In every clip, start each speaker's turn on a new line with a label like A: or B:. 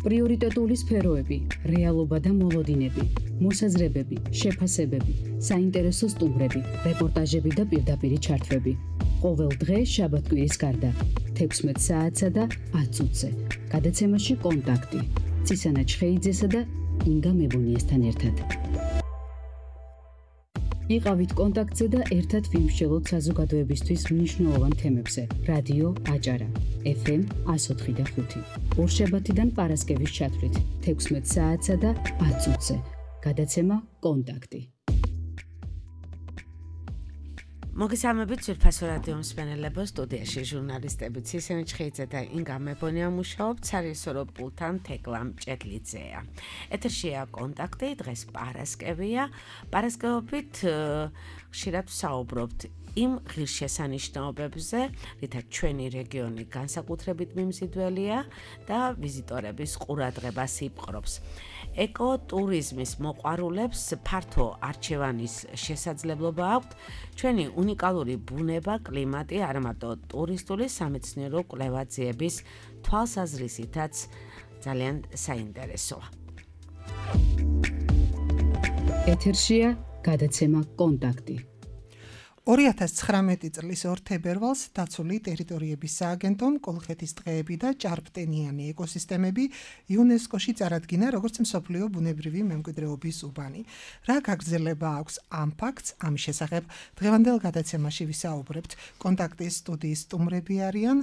A: პრიორიტეტული სფეროები, რეალობა და მოლოდინები, მოსაზრებები, შეფასებები, საინტერესო სტუმრები, რეპორტაჟები და პირდაპირი ჩართვები. ყოველ დღე შაბათ-კვირის გარდა 16 საათსა და 10 წუთზე. გადაცემაში კონტაქტი. ცისანა ჩხეიძესა და ინგა მებუნიესთან ერთად. იყავით კონტაქტზე და ერთად ვიმსჯელოთ საზოგადოებისთვის მნიშვნელოვან თემებზე. რადიო აჭარა, FM 104.5. ორშაბათიდან პარასკევის ჩათვლით 16 საათსა და 10 წუთზე. გადაცემა კონტაქტი.
B: მოგესალმებით ძვირფასო რადიო მსმენელებო, სტუდიაში ჟურნალისტები ცისანა ჩხეიძე და ინგა მებონია მუშაობთ, სარიესო პულტთან თეკლა მჭედლიძეა. ეთერშია კონტაქტი, დღეს პარასკევია. პარასკევობით ხშირად ვსაუბრობთ იმ ღირსშესანიშნაობებზე, რითაც ჩვენი რეგიონი განსაკუთრებით მიმზიდველია და ვიზიტორების ყურადღებას იპყრობს. ეკოტურიზმის მოყვარულებს ფართო არჩევანის შესაძლებლობა აქვთ. ჩვენი უნიკალური ბუნება, კლიმატი არ მარტო ტურისტული სამეცნიერო კვლევაძიების თვალსაზრისითაც ძალიან საინტერესოა.
A: ეთერშია გადაცემა კონტაქტი.
C: 2019 წლის 2 თებერვალს დაცული ტერიტორიების სააგენტომ კოლხეთის ტყეები და ჭარბტენიანი ეკოსისტემები იუნესკოში წარადგინა როგორც მსოფლიო ბუნებრივი მემკვიდრეობის უბანი. რა გაგრძელება აქვს ამ ფაქტს, ამის შესახებ დღევანდელ გადაცემაში ვისაუბრებთ. კონტაქტის სტუდიის სტუმრები არიან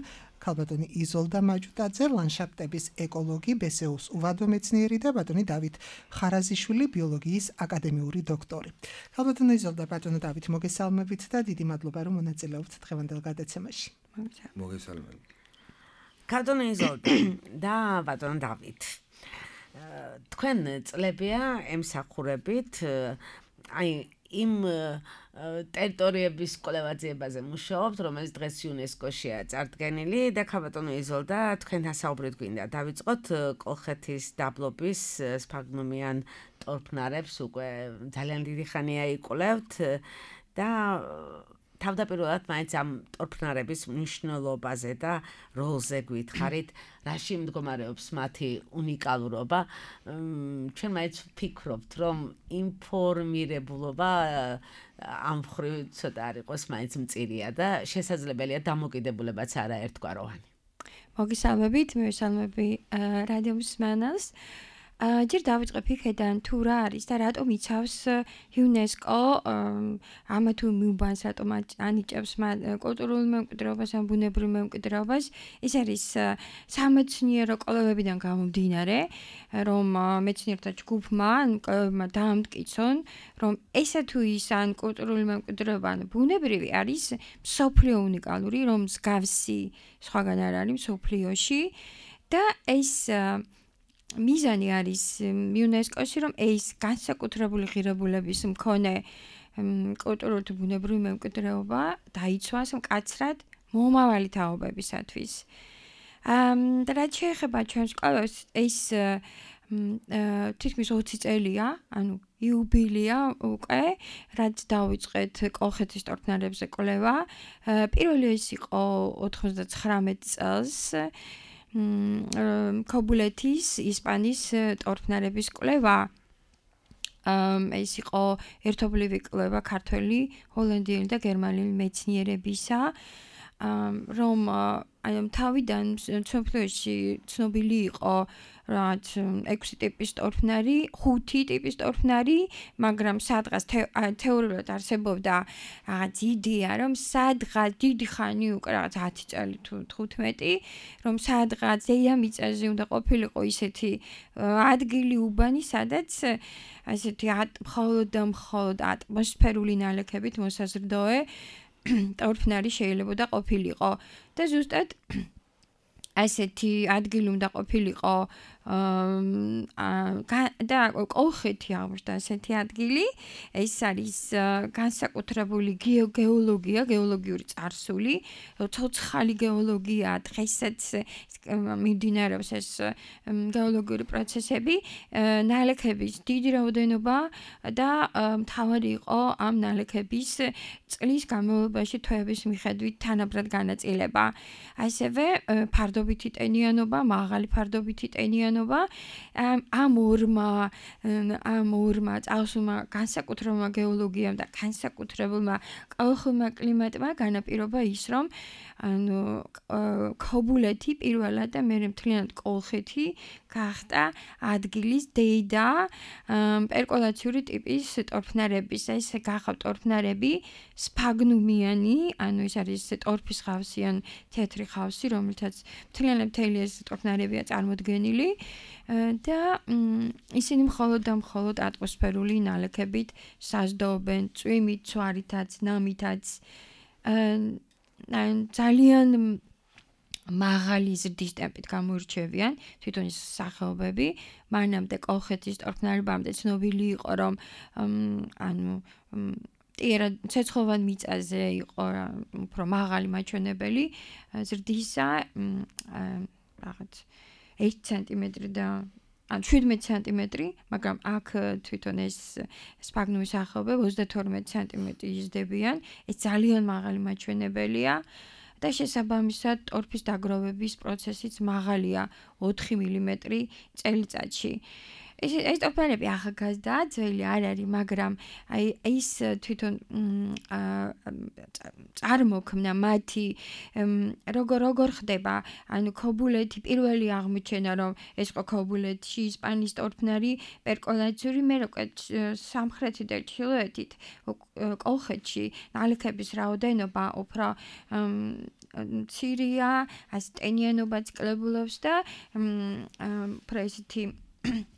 C: ქალბატონი იზოლდა მაჯუტაძე, ლანდშაფტების ეკოლოგი, ბესეუს უვადო მეცნიერი და ბატონი დავით ხარაზიშვილი, ბიოლოგიის აკადემიური დოქტორი. ქალბატონი იზოლდა, ბატონო დავით, მოგესალმებით და დიდი მადლობა, რომ მონაწილეობთ დღევანდელ გადაცემაში.
D: მოგესალმებით.
B: ქალბატონი იზოლდა და ბატონი დავით. თქვენ წლებია ემსახურებით იმ ტერიტორიების კვლევაძიებაზე მუშაობთ, რომელიც დღეს იუნესკოშია წარდგენილი და ქალბატონო იზოლდა, თქვენ ასაუბრეთ გვინდა დავიწყოთ კოლხეთის დაბლობის სფაგნუმიან ტორფნარებს უკვე ძალიან დიდი ხანია იკვლევთ და თავდაპირველად მაინც ამ ტორფნარების მნიშვნელობაზე და როლზე გითხარით, რაში მდგომარეობს მათი უნიკალურობა. ჩვენ მაინც ვფიქრობთ, რომ ინფორმირებულობა ამ მხრივ ცოტა არ იყოს მაინც მწირია და შესაძლებელია დამოკიდებულებაც არაერთგვაროვანი.
E: მოგესალმებით, მივესალმები რადიო მსმენელს. ჯერ დავიწყებ იქედან თუ რა არის და რატომ იცავს იუნესკო ამა თუ მიუბანს, რატომ ანიჭებს კულტურულ მემკვიდრეობას ან ბუნებრივ მემკვიდრეობას. ეს არის სამეცნიერო კვლევებიდან გამომდინარე, რომ მეცნიერთა ჯგუფმა კვლევებმა დაამტკიცონ, რომ ესა თუ ის ან კულტურული მემკვიდრეობა ან ბუნებრივი არის მსოფლიო უნიკალური, რომ მსგავსი სხვაგან არ არის მსოფლიოში და ეს მიზანი არის იუნესკოში, რომ ეს განსაკუთრებული ღირებულების მქონე კულტურული თუ ბუნებრივი მემკვიდრეობა დაიცვას მკაცრად მომავალი თაობებისათვის. და რაც შეეხება ჩვენს კვლევებს, ეს თითქმის 20 წელია, ანუ იუბილეა უკვე, რაც დავიწყეთ კოლხეთის ტორფნარებზე კვლევა. პირველი ეს იყო 99 წელს. ქობულეთის ისპანის ტორფნარების კვლევა. ეს იყო ერთობლივი კვლევა ქართველი, ჰოლანდიელი და გერმანელი მეცნიერებისა, რომ თავიდან მსოფლიოში ცნობილი იყო რაც 6 ტიპის ტორფნარი, 5 ტიპის ტორფნარი, მაგრამ სადღაც თეორიულად არსებობდა რაღაც იდეა, რომ სადღაც დიდი ხანი უკვე რაღაც 10 წელი თუ 15, რომ სადღაც დედამიწაზე უნდა ყოფილიყო ისეთი ადგილი უბანი, სადაც ასეთი მხოლოდ და მხოლოდ ატმოსფერული ნალექებით მოსაზრდოე ტორფნარი შეიძლება ყოფილიყო და ზუსტად ასეთი ადგილი უნდა ყოფილიყო და კოლხეთი აღმოჩნდა ასეთი ადგილი. ეს არის განსაკუთრებული გეოლოგიური წარსული, ცოცხალი გეოლოგია, დღესაც მიმდინარეობს ეს გეოლოგიური პროცესები, ნალექების დიდი რაოდენობა და მთავარი იყო ამ ნალექების წლის განმავლობაში თვეების მიხედვით თანაბრად განაწილება. ასევე ფარდობა ფარდობითი ტენიანობა, მაღალი ფარდობითი ტენიანობა. ამ ორმა წარსულმა განსაკუთრებულმა გეოლოგიამ და განსაკუთრებულმა ყოველხმოვანმა კლიმატმა განაპირობა ის, რომ ქობულეთი პირველად და მერე მთლიანად კოლხეთი გახდა ადგილის დეიდა პერკოლაციური ტიპის ტორფნარების. ეს გახავთ ტორფნარები სფაგნუმიანი, ის არის ტორფის ხავსი ან თეთრი ხავსი, რომელთაც მთლიანი ეს ტორფნარებია წარმოდგენილი და ისინი მხოლოდ და მხოლოდ ატმოსფერული ნალექებით საზრდოობენ, წვიმით, ცვარითაც, ნამითაც. ძალიან მაღალი ზრდის ტემპით გამოირჩევიან თვითონ ეს სახეობები. მანამდე კოლხეთის ტორფნარებამდე ცნობილი იყო, რომ ცეცხლოვან მიწაზე იყო უფრო მაღალი მაჩვენებელი ზრდისა, რაღაც 1 სანტიმეტრი და 17 სანტიმეტრი, მაგრამ აქ თვითონ ეს სფაგნუმის სახეობები 32 სანტიმეტრი იზრდებიან. ეს ძალიან მაღალი მაჩვენებელია და შესაბამისად ტორფის დაგროვების პროცესიც მაღალია 4 მილიმეტრი წელიწადში. ეს ტორფნარები ახალგაზრდაა, ძველი არ არის, მაგრამ ის თვითონ წარმოქმნა მათი როგორ ხდება, ქობულეთი პირველი აღმოჩენა, რომ ეს იყო ქობულეთში ისპანიის ტორფნარი პერკოლაციური, მე უკვე სამხრეთით და ჩრდილოეთით კოლხეთში ნალექების რაოდენობა უფრო მცირეა, ასე ტენიანობაც კლებულობს და უფრო ესეთი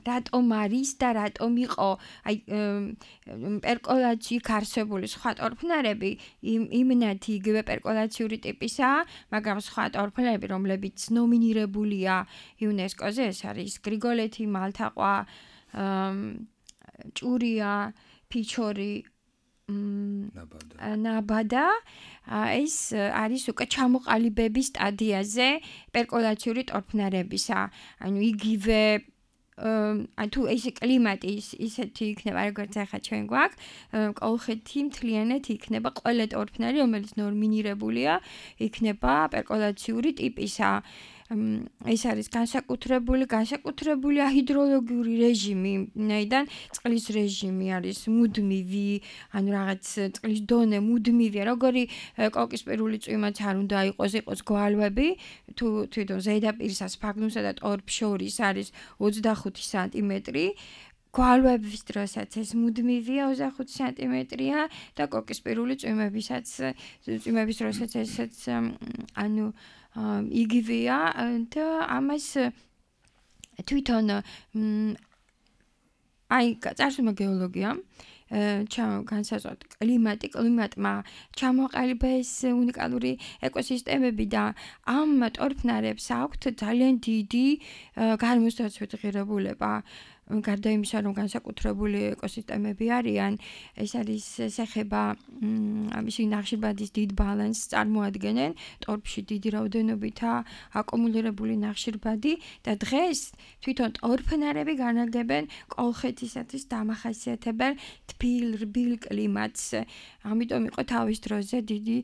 E: რატომ არის და რატომ იყო პერკოლაციით არსებული სხვა ტორფნარები იმნათი იგივე პერკოლაციური ტიპისაა, მაგრამ სხვა ტორფნარები, რომლებიც ნომინირებულია იუნესკოზე, ეს არის გრიგოლეთი, მალთაყვა, ჭურია, ფიჩორი, ნაბადა, ეს არის უკვე ჩამოყალიბების სტადიაზე პერკოლაციური ტორფნარებისა. იგივე თუ ეს კლიმატი ისეთი იქნება, როგორც ახლა ჩვენ გვაქვს, კოლხეთი მთლიანად იქნება ყველა ტორფნარი, რომელიც ნომინირებულია, იქნება პერკოლაციური ტიპისა. ეს არის განსაკუთრებული ჰიდროლოგიური რეჟიმი, ვინაიდან წყლის რეჟიმი არის მუდმივი, რაღაც წყლის დონე მუდმივია, როგორი კოკისპირული წვიმაც არ უნდა იყოს გვალვები, თუ თვითონ ზედაპირსა სფაგნუმსა და ტორფს შორის არის 25 სანტიმეტრი, გვალვების დროსაც ეს მუდმივია 25 სანტიმეტრია და კოკისპირული წვიმების დროსაც ესეც იგივეა და ამას თვითონ წარსულმა გეოლოგიამ განსაზღვრა კლიმატმა ჩამოყალიბა ეს უნიკალური ეკოსისტემები და ამ ტორფნარებს აქვთ ძალიან დიდი გამოსდაცვით ღირებულება. გარდა იმისა, რომ განსაკუთრებული ეკოსისტემები არიან, ეს არის ეხება მისი ნახშირბადის დიდ ბალანსს წარმოადგენენ, ტორფში დიდი რაოდენობითაა აკუმულირებული ნახშირბადი და დღეს თვითონ ტორფნარები განაგებენ კოლხეთისათვის დამახასიათებელ თბილ, რბილ კლიმატს. ამიტომ იყო თავის დროზე დიდი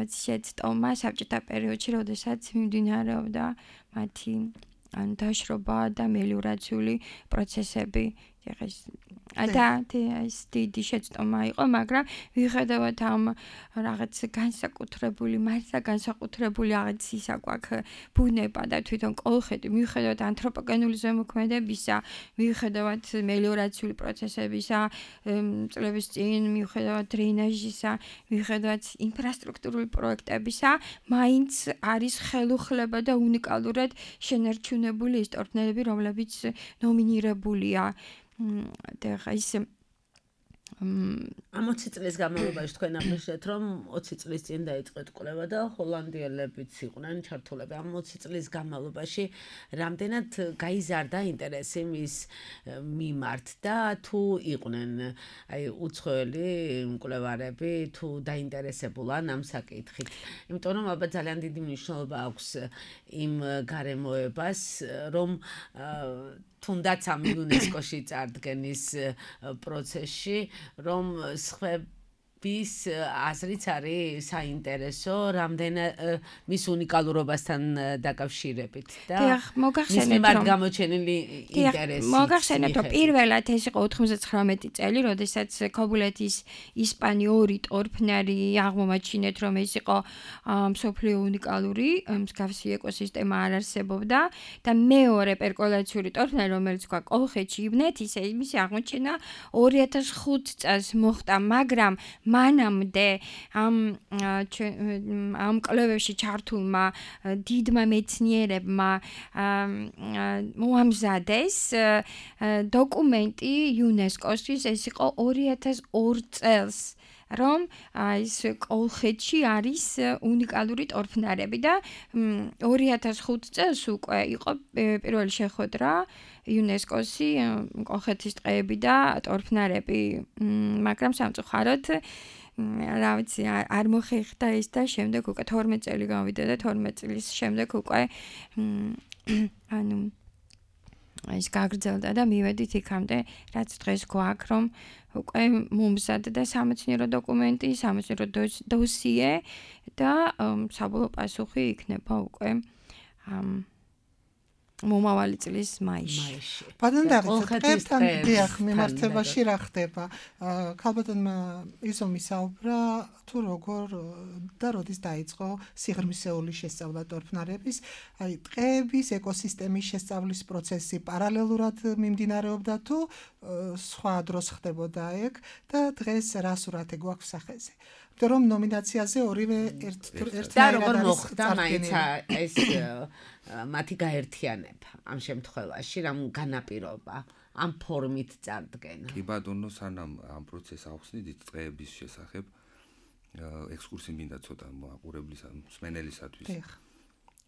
E: შეცდომა საბჭოთა პერიოდში, როდესაც მიმდინარეობდა მათი დაშრობა და მელიორაციული პროცესები. ეს დიდი შეცდომა იყო, მაგრამ ვიხედავთ ამ რაღაც განსაკუთრებული რაღაც ისა გვაქვს ბუნება და თვითონ კოლხეთი, ვიხედავთ ანთროპოგენული ზემოქმედებისა, ვიხედავთ მელიორაციული პროცესებისა, წლების წინ ვიხედავთ დრენაჟისა, ვიხედავთ ინფრასტრუქტურული პროექტებისა, მაინც არის ხელუხლება და უნიკალურად შენარჩუნებული ის ტორფნარები, რომლებიც ნომინირებულია. და ის
B: ამ 20 წლის განმავლობაში თქვენ აღნიშნეთ, რომ 20 წლის წინ დაიწყეთ კვლევა და ჰოლანდიელებიც იყვნენ ჩართულები. ამ 20 წლის განმავლობაში რამდენად გაიზარდა ინტერესი მის მიმართ და თუ იყვნენ უცხოელი მკვლევარები, თუ დაინტერესებულან ამ საკითხით. იმიტომ რომ ალბათ ძალიან დიდი მნიშვნელობა აქვს იმ გარემოებას, რომ თუნდაც ამ იუნესკოში წარდგენის პროცესში, რომ ვის აზრიც არის საინტერესო, რამდენად მის უნიკალურობასთან დაკავშირებით და მის მიმართ გამოჩენილი ინტერესი.
E: მოგახსენებთ, რომ პირველად ეს იყო 99 წელი, როდესაც ქობულეთის ისპანიური ტორფნარი აღმომაჩინეთ, რომ ეს იყო მსოფლიო უნიკალური, მსგავსი ეკოსისტემა არ არსებობდა და მეორე პერკოლაციური ტორფნარი, რომელიც თქვა კოლხეთში იბნეთის, მისი აღმოჩენა 2005 წელს მოხდა, მაგრამ მანამდე ამ კვლევებში ჩართულმა დიდმა მეცნიერებმა მოამზადეს დოკუმენტი იუნესკოსთვის, ეს იყო 2002 წელს, რომ ის კოლხეთში არის უნიკალური ტორფნარები და 2005 წელს უკვე იყო პირველი შეხვედრა იუნესკოსი კოლხეთის ტყეები და ტორფნარები, მაგრამ სამწუხაროდ რა ვიცი, არ მოხერხდა ეს და შემდეგ უკვე 12 წელი გავიდა და 12 წლის შემდეგ უკვე ანუ ის გაგრძელდა და მივედით იქამდე, რაც დღეს გვაქვს, რომ უკვე მომზადდა სამეცნიერო დოკუმენტი, სამეცნიერო დოსიე და საბოლოო პასუხი იქნება უკვე მომავალი წლის მაისში.
C: ბატონო ტყეებთან დიახ მიმართებაში რა ხდება? ქალბატონმა იზომ ისაუბრა თუ როგორ და როდის დაიწყო სიღრმისეული შესწავლა ტორფნარების, აი ტყეების ეკოსისტემის შესწავლის პროცესი პარალელურად მიმდინარეობდა თუ სხვა დროს ხდებოდა ეგ და დღეს რა სურათი გვაქვს სახეზე? რომ ნომინაციაზე ორივე ერთნაირად
B: და როგორ მოხდა მაინც ეს მათი გაერთიანება ამ შემთხვევაში, რამ განაპირობა ამ ფორმით წარდგენა.
D: კი ბატონო, სანამ ამ პროცესს ახსნით ტყეების შესახებ ექსკურსი მინდა ცოტა მოაყურებლის მსმენელისათვის.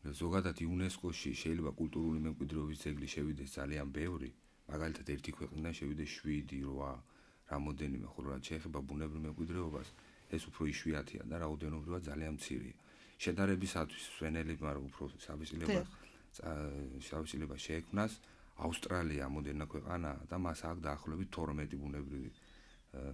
D: ზოგადად იუნესკოში შეიძლება კულტურული მემკვიდრეობის ძეგლი შევიდეს ძალიან ბევრი, მაგალითად ერთი ქვეყნიდან შევიდეს 7, 8, რამოდენიმე, ხოლო რაც შეეხება ბუნებრივ მემკვიდრეობას, ეს უფრო იშვიათია და რაოდენობრივად ძალიან მცირეა. შედარებისათვის მსმენელებმა უფრო შავშილება შეექმნას ავსტრალია ამოდენა ქვეყანაა და მას აქვს დაახლოებით 12 ბუნებრივი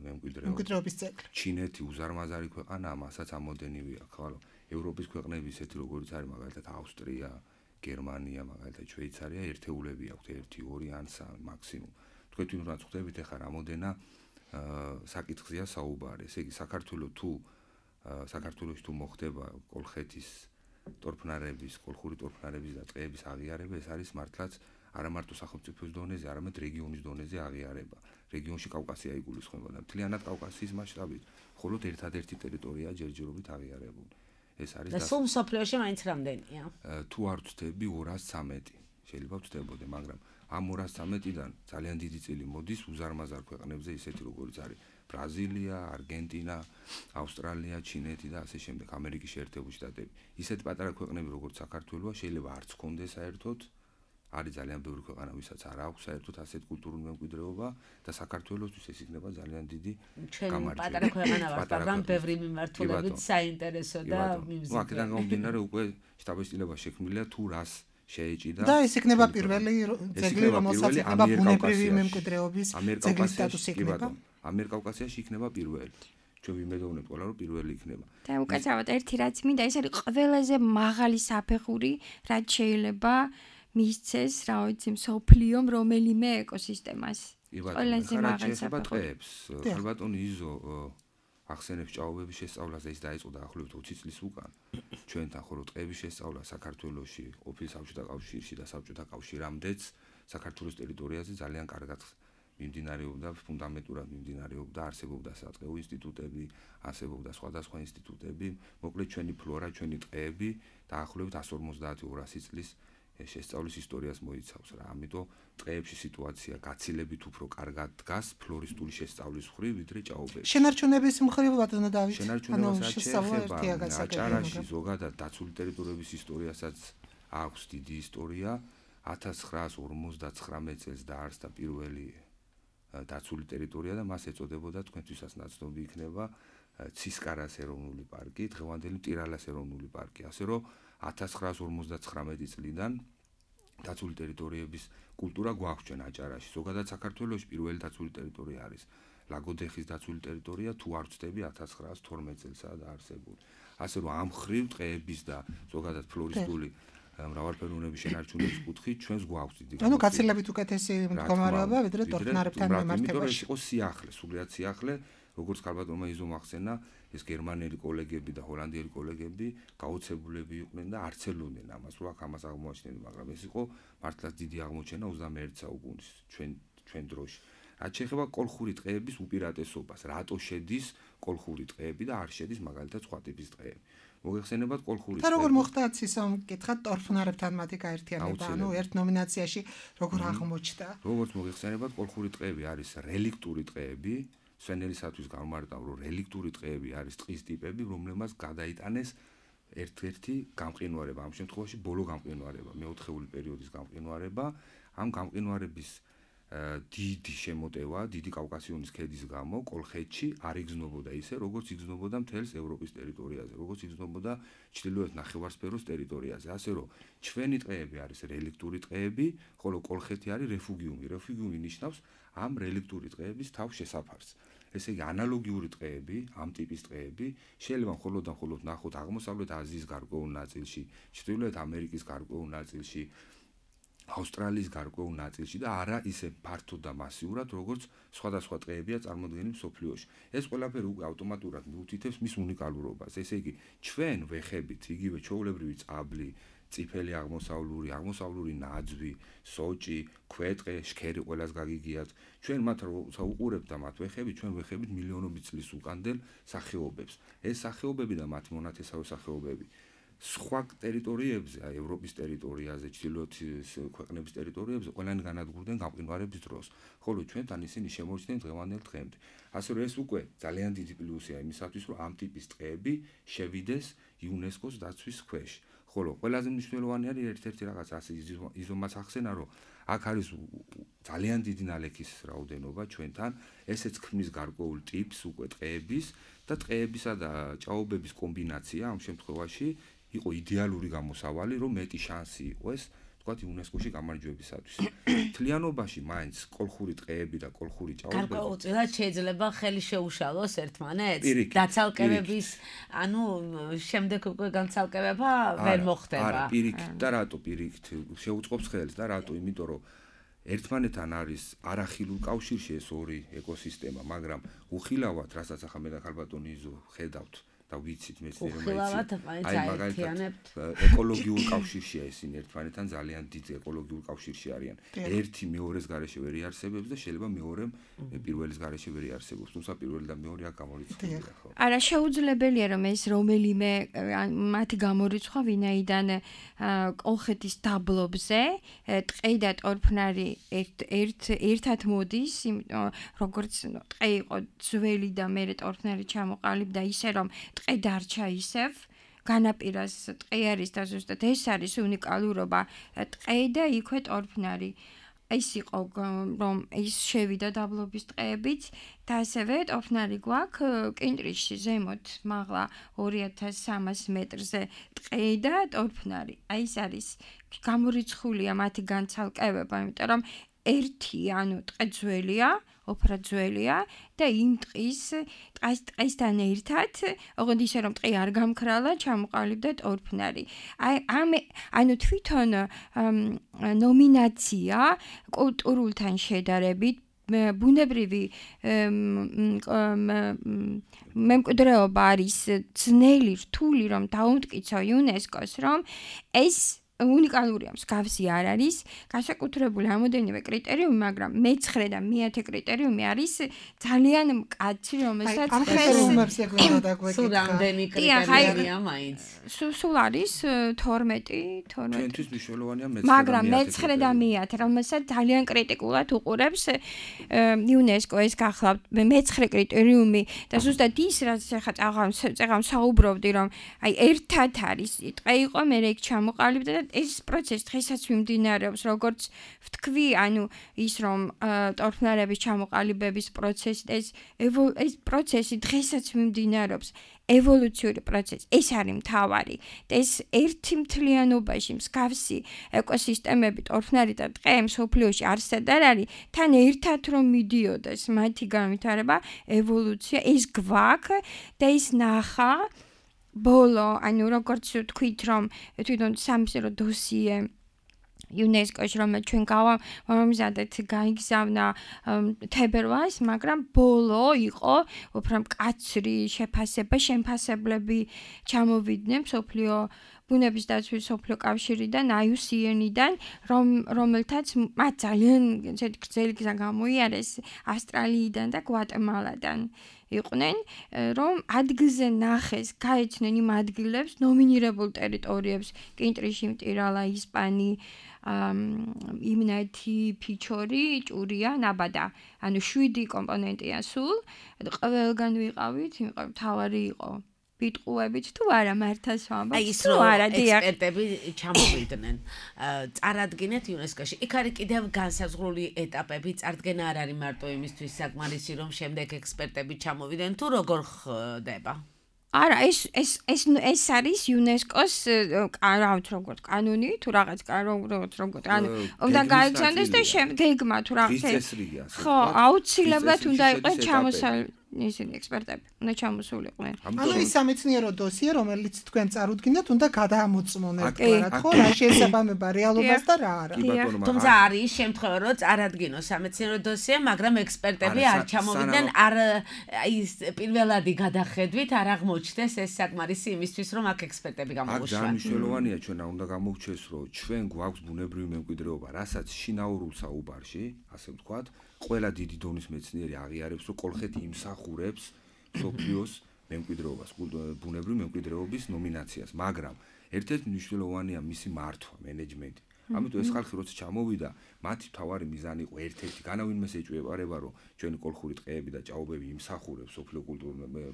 D: მემკვიდრეობის
C: ძეგლი.
D: ჩინეთი უზარმაზარი ქვეყანაა, მასაც ამოდენივე აქვს, ხოლო ევროპის ქვეყნები ისეთი როგორიც არის მაგალითად ავსტრია, გერმანია, მაგალითად შვეიცარია, ერთეულები აქვთ 1, 2 ან 3 მაქსიმუმ. თქვენ თვითონაც ხვდებით ახლა რამოდენა საკითხზეა საუბარი. ესე იგი საქართველოში თუ მოხდება კოლხეთის კოლხური ტორფნარების და ტყეების აღიარება, ეს არის მართლაც არა მარტო სახელმწიფოს დონეზე, არამედ რეგიონის დონეზე აღიარება. რეგიონში კავკასია იგულისხმება და მთლიანად კავკასიის მასშტაბით, მხოლოდ ერთადერთი ტერიტორია ჯერჯერობით აღიარებული. ეს არის
B: და სულ მსოფლიოში მაინც რამდენია?
D: თუ არ ვწდები 213. შეიძლება ვწდებოდე, მაგრამ ამ 213-დან ძალიან დიდი წილი მოდის უზარმაზარ ქვეყნებზე, ისეთი როგორიც არის ბრაზილია, არგენტინა, ავსტრალია, ჩინეთი და ასე შემდეგ, ამერიკის შეერთებული შტატები. ისეთ პატარა ქვეყნები როგორც საქართველოა შეიძლება არც კონდეს საერთოდ, არის ძალიან ბევრი ქვეყანა, ვისაც არ აქვს საერთოდ ასეთ კულტურული მემკვიდრეობა და საქართველოსთვის ეს იქნება ძალიან დიდი
B: გამარჯვება. პატარა ქვეყანა ვართ, მაგრამ ბევრი მიმართულებით საინტერესო და მიმზიდველი.
D: აქედან გამომდინარე უკვე შტაბ-სიტილება შექმნილია თუ რას შეეჭიდა
C: და ეს იქნება პირველი ძეგლი, რომელსაც იქნება ბუნებრივი მემკვიდრეობის ძეგლის სტატუსი იქნება.
D: ამიერკავკასიაში იქნება პირველი. ჩვენ ვიმედოვნებთ ყველა, რომ პირველი იქნება.
E: და უკაცრავად ერთი რაც მინდა, ეს არის ყველაზე მაღალი საფეხური, რაც შეიძლება მისცეს, რა ვიცი, მსოფლიომ რომელიმე ეკოსისტემას. ყველაზე მაღალი საფეხური.
D: ქალბატონი იზო ახსენებს ჭაობების შესწავლას და ის დაიწყო დაახლოებით 20 წლის უკან. ჩვენთან ხოლო ტყეების შესწავლა საქართველოში, ყოფილ საბჭოთა კავშირში და საბჭოთა კავშირამდეც საქართველოს ტერიტორიაზე ძალიან კარგად მიმდინარეობდა, ფუნდამენტურად მიმდინარეობდა, არსებობდა სატყეო ინსტიტუტები, არსებობდა სხვადასხვა ინსტიტუტები, მოკლედ ჩვენი ფლორა, ჩვენი ტყეები დაახლოებით 150-200 წლის შესწავლის ისტორიას მოიცავს რა. ამიტომ ტყეებში სიტუაცია გაცილებით უფრო კარგად დგას ფლორისტული შესწავლის მხრივ, ვიდრე ჭაობებში.
C: შენარჩუნების მხრივ ბატონო დავით.
D: შენარჩუნებასაც შეეხება აჭარაში ზოგადად დაცული ტერიტორიების ისტორიასაც აქვს დიდი ისტორია. 1959 წელს დაარსდა პირველი დაცული ტერიტორია და მას ეწოდებოდა თქვენთვისაც ნაცნობი იქნება ცისკარას ეროვნული პარკი, დღევანდელი მტირალას ეროვნული პარკი. ასე რომ 1959 წლიდან დაცული ტერიტორიების კულტურა გვაქვს ჩვენ აჭარაში. ზოგადად საქართველოში პირველი დაცული ტერიტორია არის ლაგოდეხის დაცული ტერიტორია თუ არ ვწდები 1912 წელსაა დაარსებული. ასე რომ ამ ხრივ ტყეების და ზოგადად ფლორისტული მრავალფეროვნების შენარჩუნების კუთხით ჩვენს გვაქვს დიდი
C: ანუ გაცილებით უკეთესი მდგომარეობა ვიდრე ტორფნარებთან მემართებაში.
D: იმიტომ რომ იყო სიახლე, სულიად სიახლე, როგორც ქალბატონმა იზომ ახსენა, ეს გერმანელი კოლეგები და ჰოლანდიელი კოლეგები გაოცებულები იყვნენ და არცელოდნენ ამას, რომ აქ ამას აღმოაჩინდნენ, მაგრამ ეს იყო მართლაც დიდი აღმოჩენა 21 საუკუნის ჩვენ დროში. რაც შეეხება კოლხური ტყეების უპირატესობას, რატო შედის კოლხური ტყეები და არ შედის მაგალითად სხვა ტიპის ტყეები. მოგეხსენებათ კოლხური
C: და როგორ მოხდა ცისომ კითხა ტორფნარებთან მათი გაერთიანება, ანუ ერთ ნომინაციაში როგორ აღმოჩნდა?
D: როგორც მოგეხსენებათ კოლხური ტყეები არის რელიქტური ტყეები, სვენელისათვის გამარტავ რომ რელიქტური ტყეები არის ტყის ტიპები, რომლებმაც გადაიტანეს ერთ-ერთი გამყინვარება, ამ შემთხვევაში ბოლო გამყინვარება, მეოთხეული პერიოდის გამყინვარება, ამ გამყინვარების დიდი შემოტევა, დიდი კავკასიონის ქედის გამო კოლხეთში არ იგრძნობოდა ისე, როგორც იგრძნობოდა მთელს ევროპის ტერიტორიაზე, როგორც იგრძნობოდა ჩრდილოეთ ნახევარსფეროს ტერიტორიაზე. ასე რომ ჩვენი ტყეები არის რელიქტური ტყეები, ხოლო კოლხეთი არის რეფუგიუმი. რეფუგიუმი ნიშნავს ამ რელიქტური ტყეების თავ შესაფარს. ესე იგი ანალოგიური ტყეები, ამ ტიპის ტყეები შეიძლება მხოლოდ ნახოთ აღმოსავლეთ აზიის გარკვეულ ნაწილში, ჩრდილოეთ ამერიკის გარკვეულ ნაწილში, ავსტრალიის გარკვეულ ნაწილში და არა ისე ფართოდ და მასიურად, როგორც სხვადასხვა ტყეებია წარმოდგენილი მსოფლიოში. ეს ყველაფერი უკვე ავტომატურად მიუთითებს მის უნიკალურობას. ესე იგი, ჩვენ ვეხებით იგივე ჩვეულებრივი წაბლი, წიფელი აღმოსავლური ნაძვი, სოჭი, ქვეტყე, შქერი ყველას გაგიგიათ. ჩვენ მათ როცა უყურებთ და მათ ვეხებით, ჩვენ ვეხებით მილიონობით წლის უკანდელ სახეობებს. ეს სახეობები და მათი მონათესავე სახეობები სხვა ტერიტორიებზე, ევროპის ტერიტორიაზე, ჩრდილოეთის ქვეყნების ტერიტორიებზე ყველანი განადგურდნენ გამყინვარების დროს, ხოლო ჩვენთან ისინი შემორჩნენ დღევანდელ დღემდე. ასე რომ ეს უკვე ძალიან დიდი პლუსია იმისათვის, რომ ამ ტიპის ტყეები შევიდეს იუნესკოს დაცვის ქვეშ. ხოლო ყველაზე მნიშვნელოვანი არის ერთ-ერთი რაღაც ასე იზომაც ახსენა, რომ აქ არის ძალიან დიდი ნალექის რაოდენობა ჩვენთან, ესეც ქმნის გარკვეულ ტიპს უკვე ტყეების და ტყეებისა და ჭაობების კომბინაცია ამ შემთხვევაში იყო იდეალური გამოსავალი, რომ მეტი შანსი იყოს, თქვათ იუნესკოში გამარჯვებისათვის. თლიანობაში მაინც კოლხური ტყეები და კოლხური ჭაობები
B: გარკვეულწილად შეიძლება ხელი შეუშალოს ერთმანეთს. დაცალკევების, ანუ შემდეგ უკვე განცალკევება ვერ მოხდება.
D: არა, პირიქით და რატო პირიქით შეუწყობს ხელს და რატო? იმიტომ რომ ერთმანეთთან არის არახილულ კავშირში ეს ორი ეკოსისტემა, მაგრამ უხილავად, რასაც ახლა მე და ქალბატონი იზო ხედავთ და ვიცით მეცნიერებმა
B: აერთიანებთ
D: ეკოლოგიურ კავშირშია ისინი ერთმანეთთან ძალიან დიდ ეკოლოგიურ კავშირში არიან. ერთი მეორეს გარეშე ვერ იარსებებს და შეიძლება მეორემ პირველის გარეშე ვერ იარსებობს, თუმცა პირველი და მეორე აქ გამორიცხულია, ხო?
E: არა, შეუძლებელია რომ ეს რომელიმე მათი გამორიცხვა ვინაიდან კოლხეთის დაბლობზე ტყე და ტორფნარი ერთად მოდის, როგორც ტყე იყო ძველი და მერე ტორფნარი ჩამოყალიბდა ისე რომ ტყე დარჩა ისევ განაპირას ტყე არის და ზუსტად ეს არის უნიკალურობა ტყე და იქვე ტორფნარი ეს იყო რომ ის შევიდა დაბლობის ტყეებით და ასევე ტორფნარი გვაქვს კინტრიში ზემოთ მაღლა 2300 მეტრზე ტყე და ტორფნარი აი ეს არის გამორიცხულია მათი განცალკევება იმიტომ რომ ერთი ანუ ტყე ძველია ოფრა ძველია და იმ ტყისთან ერთად, ოღონდ ისე რომ ტყე არ გამქრალა, ჩამოყალიბდა ტორფნარი. ანუ თვითონ ნომინაცია კულტურულთან შედარებით ბუნებრივი მემკვიდრეობა არის ძნელი, რთული რომ დაუმტკიცო იუნესკოს, რომ ეს უნიკალურია, მსგავსი არ არის, განსაკუთრებული რამოდენიმე კრიტერიუმი, მაგრამ მე-9 და მე-10 კრიტერიუმი არის ძალიან მკაცრი, რომელსაც
C: ამ კრიტერიუმებს ეგვინა და გვეკითხა.
B: სულ რამდენი კრიტერიუმია მაინც?
E: სულ არის 12.
D: ჩვენთვის მნიშვნელოვანია მე-9
E: მაგრამ მე-9 და მე-10, რომელსაც ძალიან კრიტიკულად უყურებს იუნესკო ეს გახლავთ მე-9 კრიტერიუმი და ზუსტად ის რაც ახლა წაღამ საუბრობდი, რომ აი ერთად არის, ტყე იყო, მე იქ ჩამოყალიბდა და ეს პროცესი დღესაც მიმდინარეობს, როგორც ვთქვი, ანუ ის რომ ტორფნარების ჩამოყალიბების პროცესი ეს პროცესი დღესაც მიმდინარეობს. ევოლუციური პროცესი. ეს არის მთავარი. და ეს ერთი მთლიანობაში მსგავსი ეკოსისტემები, ტორფნარი და ტყე მსოფლიოში არსად არ არის, თან ერთად რომ მიდიოდეს მათი განვითარება, ევოლუცია, ეს გვაქვს და ის ნახა ბოლო, ანუ როგორც ვთქვით, რომ თვითონ სამსერო დოსიე UNESCO-ში რომ ჩვენ გავამზადეთ გაიგზავნა თებერვალს, მაგრამ ბოლო იყო უფრო მკაცრი შეფასება, შემფასებლები ჩამოვიდნენ მსოფლიო ბუნების დაცვის მსოფლიო კავშირიდან, IUCN-დან, რომელთაც მათ ძალიან გრძელი გზა გამოიარეს ავსტრალიიდან და გვატემალადან. იყვნენ, რომ ადგილზე ნახეს, გაეცნენ იმ ადგილებს, ნომინირებულ ტერიტორიებს, კინტრიში, მტირალა, ისპანი, იმნეთი, ფიჩორი, ჭურია, ნაბადა. ანუ 7 კომპონენტია სულ. ყველგან ვიყავით, მთავარი იყო ბიტყუებით თუ არა მართას ვამბობ.
B: აი ის რომ ექსპერტები ჩამოვიდნენ. წარადგინეთ UNESCO-ში. იქ არის კიდევ განსაზღვრული ეტაპები, წარდგენა არ არის მარტო იმისთვის საკმარისი, რომ შემდეგ ექსპერტები ჩამოვიდნენ, თუ როგორ ხდება?
E: არა, ეს არის UNESCO-ს როგორც კანონი, თუ რაღაც როგორც ანუ უნდა გაიგზავნეს და გეგმა თუ რაღაც ხო, აუცილებლად უნდა იყოს ჩამოსული ისინი ექსპერტები უნდა ჩამოსულიყვნენ.
C: ანუ ის სამეცნიერო დოსიე, რომელიც თქვენ წარუდგინდათ, უნდა გადაამოწმონ ერთგვარად, ხო, რა შეესაბამება რეალობას და რა არა.
B: თუმცა არის შემთხვევა, რომ წარადგინოს სამეცნიერო დოსიე, მაგრამ ექსპერტები არ ჩამოვიდნენ, არ ის პირველადი გადახედვით არ აღმოჩნდეს ეს საკმარისი იმისთვის, რომ აქ ექსპერტები გამოუშვან.
D: ძალიან მნიშვნელოვანია ჩვენ უნდა გამოვჩეს, რომ ჩვენ გვაქვს ბუნებრივი მემკვიდრეობა, რასაც შინაურულ საუბარში, ასე ვთქვათ, ყველა დიდი დონის მეცნიერი აღიარებს, რომ კოლხეთი იმსახურებს მსოფლიოს მემკვიდრეობას, ბუნებრივი მემკვიდრეობის ნომინაციას, მაგრამ ერთ-ერთი მნიშვნელოვანია მისი მართვა, მენეჯმენტი. ამიტომ ეს ხალხი როცა ჩამოვიდა, მათი მთავარი მიზანი იყო ერთ-ერთი, განავინმეს ეჭვება, რომ ჩვენი კოლხური ტყეები და ჭაობები იმსახურებს მსოფლიო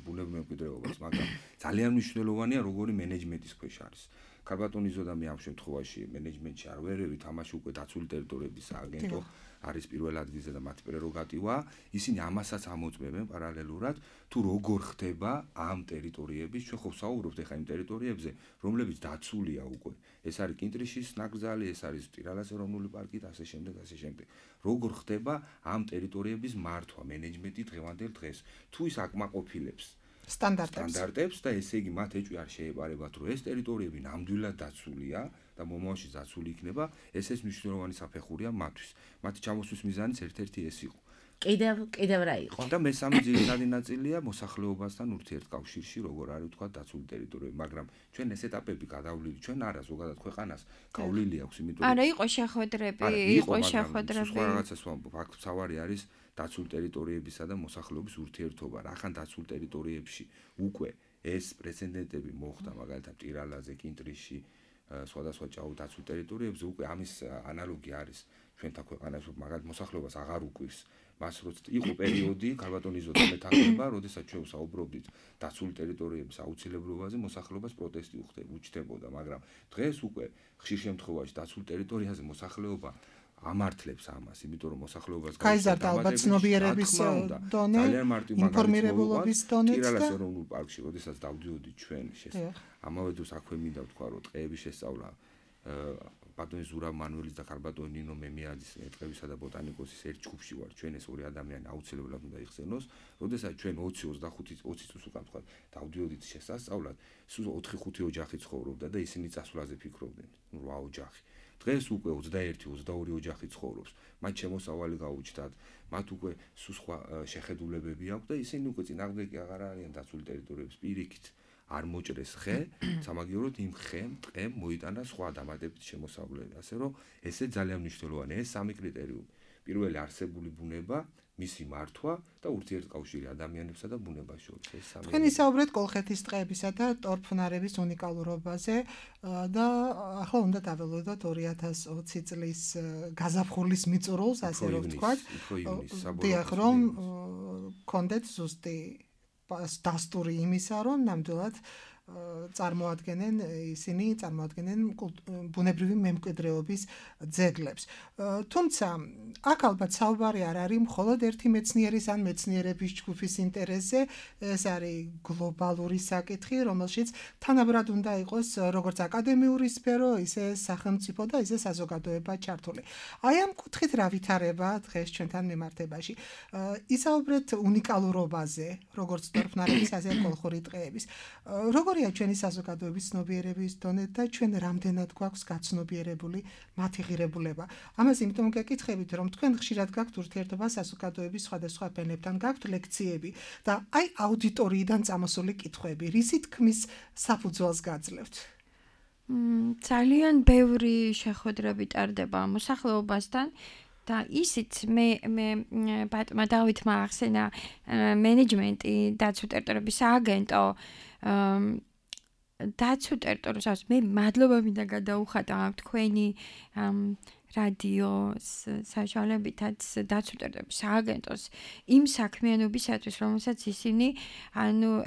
D: ბუნებრივ მემკვიდრეობას, მაგრამ ძალიან მნიშვნელოვანია, როგორი მენეჯმენტის ქვეშ არის. ქარბატონიზო და მე ამ შემთხვევაში მენეჯმენტში არ ვერევი, თამაში უკვე დაცული ტერიტორიების სააგენტო არის პირველ ადგილზე და მათი პრეროგატივა, ისინი ამასაც ამოწმებენ პარალელურად, თუ როგორ ხდება ამ ტერიტორიების, ჩვენ ხო ვსაუბრობთ ახლა იმ ტერიტორიებზე, რომლებიც დაცულია უკვე. ეს არის კინტრიშის ნაკრძალი, ეს არის მტირალას ეროვნული პარკი და ასე შემდეგ, ასე შემდეგ. როგორ ხდება ამ ტერიტორიების მართვა, მენეჯმენტი დღევანდელ დღეს, თუ ის აკმაყოფილებს სტანდარტებს და ესე იგი მათ ეჭვი არ შეეპარებათ, რომ ეს ტერიტორიები ნამდვილად დაცულია და მომავალში დაცული იქნება, ეს მნიშვნელოვანი საფეხურია მათთვის. მათი ჩამოსვლის მიზანიც ერთ-ერთი ეს იყო.
B: კიდევ რა იყო?
D: და მესამე ძირითადი ნაწილია მოსახლეობასთან ურთიერთკავშირში, როგორ არის თქვა დაცული ტერიტორიები, მაგრამ ჩვენ ეს ეტაპები გადავლილი, ჩვენ არა ზოგადად ქვეყანას გავლილი აქვს, იმიტომ
E: არა იყო შეხვედრები, იყო შეხვედრები.
D: სხვა რაღაცას ვამბობ, აქ მთავარი არის დაცული ტერიტორიებისა და მოსახლეობის ურთიერთობა. რახან დაცულ ტერიტორიებში უკვე ეს პრეცედენტები მოხდა, მაგალითად მტირალაზე, კინტრიში, სხვადასხვა ჭაობ დაცულ ტერიტორიებზე უკვე ამის ანალოგი არის ჩვენთან ქვეყანაში, მაგალითად მოსახლეობას აღარ უკვირს. მას როცა იყო პერიოდი, ქარბატონიზო და მეთანხმება, როდესაც ჩვენ ვსაუბრობდით დაცული ტერიტორიების აუცილებლობაზე, მოსახლეობას პროტესტი უჩნდებოდა, მაგრამ დღეს უკვე ხშირ შემთხვევაში დაცულ ტერიტორიაზე მოსახლეობა ამართლებს ამას, იმიტომ რომ მოსახლეობას
C: გაიზარდა ალბათ ცნობიერების დონე, ინფორმირებულობის დონეც და
D: მტირალას ეროვნულ პარკში, როდესაც დავდიოდით ჩვენ ამავე დროს აქვე მინდა ვთქვა, რომ ტყეების შესწავლა ბატონი ზურაბ მანუელის და ქარბატონი ნინო მემიაძის ტყეებისა და ბოტანიკოსის ერთ ჯგუფში ვარ. ჩვენ ეს ორი ადამიანი აუცილებლად უნდა იხსენოს, როდესაც ჩვენ 20 წუთს უკან ვთქვა, დავდიოდით შესასწავლად, სულ 4-5 ოჯახი ცხოვრობდა და ისინი წასვლაზე ფიქრობდნენ, 8 ოჯახი. დღეს უკვე 21-22 ოჯახი ცხოვრობს. მათ შემოსავალი გაუჩნდათ, მათ უკვე სულ სხვა შეხედულებები აქვს და ისინი უკვე წინააღმდეგი აღარ არიან დაცული ტერიტორიების პირიქით. არ მოჭრეს ხე, სამაგიეროდ იმ ხემ, ტყემ მოიტანა სხვა დამატებით შემოსავლები. ასე რომ ესე ძალიან მნიშვნელოვანია ეს სამი კრიტერიუმი. პირველი არსებული ბუნება, მისი მართვა და ურთიერთკავშირი ადამიანებსა და ბუნებას შორის. ეს სამი.
C: თქვენ ისაუბრეთ კოლხეთის ტყეებისა და ტორფნარების უნიკალურობაზე და ახლა უნდა დაველოდოთ 2020 წლის გაზაფხულის მიწურულს, ასე რომ ვთქვათ. დიახ, რომ კონდეთ ზუსტი დასტური იმისა, რომ ნამდვილად წარმოადგენენ ბუნებრივი მემკვიდრეობის ძეგლებს. თუმცა აქ ალბათ საუბარი არ არის მხოლოდ ერთი მეცნიერის ან მეცნიერების ჯგუფის ინტერესზე, ეს არის გლობალური საკითხი, რომელშიც თანაბრად უნდა იყოს როგორც აკადემიური სფერო, ისე სახელმწიფო და ისე საზოგადოება ჩართული. აი ამ კუთხით რა ვითარება დღეს ჩვენთან მიმართებაში? ისაუბრეთ უნიკალურობაზე, როგორც ტორფნარების, ასე კოლხური ტყეების. როგორია ჩვენი საზოგადოების ცნობიერების დონე და ჩვენ რამდენად გვაქვს გაცნობიერებული მათი ღირებულება? ამას იმიტომ გეკითხებით, რომ თქვენ ხშირად გაქვთ ურთიერთობა საზოგადოების სხვადასხვა ფენებთან, გაქვთ ლექციები და აი აუდიტორიიდან წამოსული კითხვები, რისი თქმის საფუძველს გაძლევთ?
E: ძალიან ბევრი შეხვედრები ტარდება მოსახლეობასთან და ისიც მე ბატონმა დავითმა ახსენა მენეჯმენტი დაცულ ტერიტორიების სააგენტო დაცულ ტერიტორიებს მე მადლობა მინდა გადაუხატა თქვენი რადიოს საშუალებითაც დაცულ ტერიტორიების სააგენტოს იმ საქმიანობისათვის, რომელსაც ისინი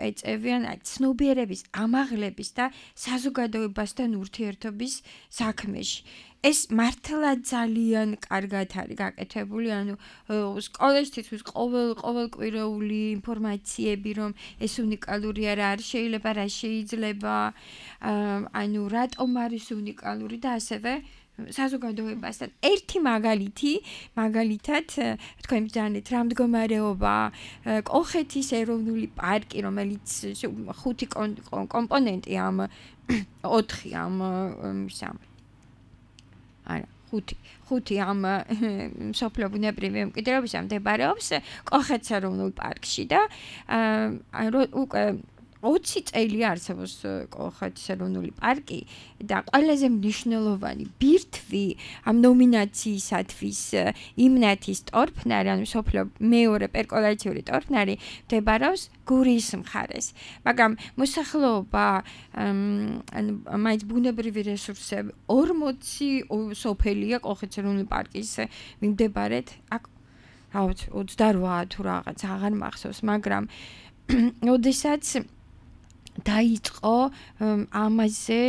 E: ეწევიან ცნობიერების ამაღლების და საზოგადოებასთან ურთიერთობის საქმეში. ეს მართლა ძალიან კარგად არის გაკეთებული, სკოლაშიც ყოველკვირეული ინფორმაციები, რომ ეს უნიკალური არის, შეიძლება რა შეიძლება, რატომ არის უნიკალური და ასევე საზოგადოებასთან ერთი მაგალითად თქვენ ბრძანეთ რა მდგომარეობა კოლხეთის ეროვნული პარკი, რომელიც 5 კომპონენტი ამ 5 ამ სოფლიო ბუნებრივი მემკვიდრეობისა მდებარეობს კოლხეთის ეროვნულ პარკში და უკვე 20 წელი არსებობს კოლხეთის ეროვნული პარკი და ყველაზე მნიშვნელოვანი ბირთვი ამ ნომინაციისათვის იმნათის ტორფნარი, სოფლიო მეორე პერკოლაციური ტორფნარი მდებარეობს გურიის მხარეს. მაგრამ მოსახლეობა მაინც ბუნებრივი რესურსები 40 სოფელია კოლხეთის ეროვნული პარკის მიმდებარედ, აქ 28 თუ რაღაც აღარ მახსოვს, მაგრამ ოდესაც დაიწყო ამაზე,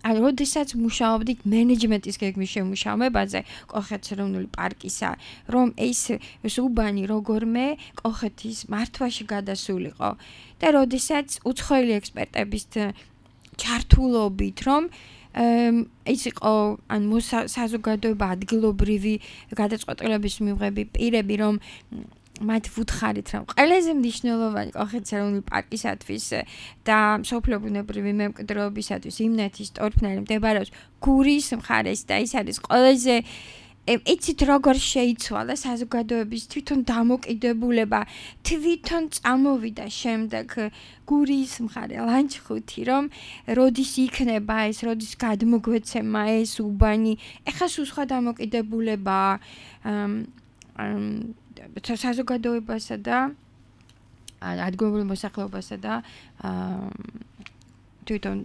E: როდესაც მუშაობდით მენეჯმენტის გეგმის შემუშავებაზე კოლხეთის ეროვნული პარკისა, რომ ეს უბანი როგორმე კოლხეთის მართვაში გადასულიყო და როდესაც უცხოელი ექსპერტების ჩართულობით, რომ ის იყო საზოგადოება ადგილობრივი გადაწყვეტილების მიღების პირები, რომ მათ ვუთხარით, რომ ყველაზე მნიშვნელოვანი კოლხეთის ეროვნული პარკისათვის და სოფლიო ბუნებრივი მემკვიდრეობისათვის იმნათის ტორფნარი მდებარეობს გურიის მხარეს და ის არის ყველაზე იცით როგორ შეიცვალა საზოგადოების თვითონ დამოკიდებულება, თვითონ წამოვიდა შემდეგ გურიის მხარე ლანჩხუთი, რომ როდის იქნება ეს, როდის გადმოგვეცემა ეს უბანი, ეხლა სულ სხვა დამოკიდებულება საზოგადოებასა და ადგილობრივ მოსახლეობასა და თვითონ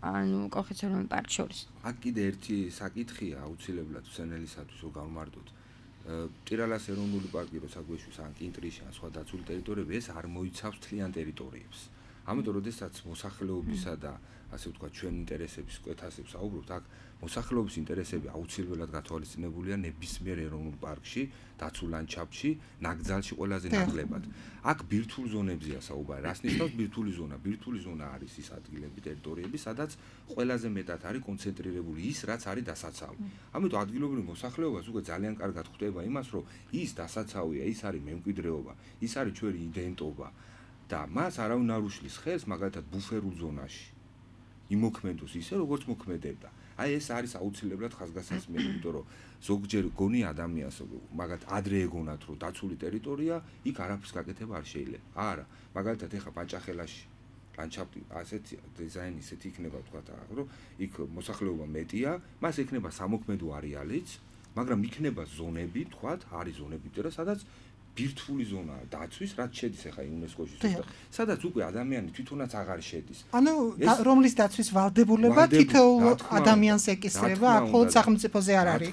E: კოლხეთის ეროვნული პარკის შორის.
D: აქ კიდე ერთი საკითხია აუცილებლად სენელისათვის რომ გავმარტოთ. ტირალას ეროვნული პარკი როცა გვეშვის ან კინტრიში ან სხვა დაცული ტერიტორიები, ეს არ მოიცავს მთლიან ტერიტორიებს. ამიტომ როდესაც მოსახლეობისა და ასე ვთქვათ ჩვენ ინტერესების კვეთასებს აუბრობთ, აქ მოსახლეობის ინტერესები აუცილებლად გათვალისწინებულია ნებისმიერ ეროვნულ პარკში, დაცულ ლანდშაფტში, ნაკრძალში ყველაზე ნაკლებად. აქ ბირთვულ ზონებზეა საუბარი. რას ნიშნავს ბირთვული ზონა? ბირთვული ზონა არის ის ადგილები, ტერიტორიები, სადაც ყველაზე მეტად არის კონცენტრირებული ის, რაც არის დასაცავი. ამიტომ ადგილობრივ მოსახლეობას უკვე ძალიან კარგად ხვდება იმას, რომ ის დასაცავია, ის არის მემკვიდრეობა, ის არის ჩვენი იდენტობა და მას არავინ არ უშლის ხელს მაგალითად ბუფერულ ზონაში. იმოქმედოს ისე, როგორც მოქმედებდა. აი ეს არის აუცილებლად ხაზგასასმელი, იმიტომ რომ ზოგჯერ გონი ადამიანს, მაგათ ადრე ეგონათ, რომ დაცული ტერიტორია, იქ არაფრის გაკეთება არ შეიძლება. არა, მაგალითად ეხა პაჭახელაში ლანდშაფტი ასეთი დიზაინი ისეთი იქნება, თქვათ, რომ იქ მოსახლეობა მეტია, მას ექნება სამოქმედო არეალიც, მაგრამ იქნება ზონები, თქვათ, არის ზონები, სადაც ბირთვული ზონაა დაცვის, რაც შედის ახლა იუნესკოში, სადაც უკვე ადამიანი თვითონაც აღარ შედის.
C: ანუ რომლის დაცვის ვალდებულება თითოეულ ადამიანს ეკისრება, აქ მხოლოდ სახელმწიფოზე არ არის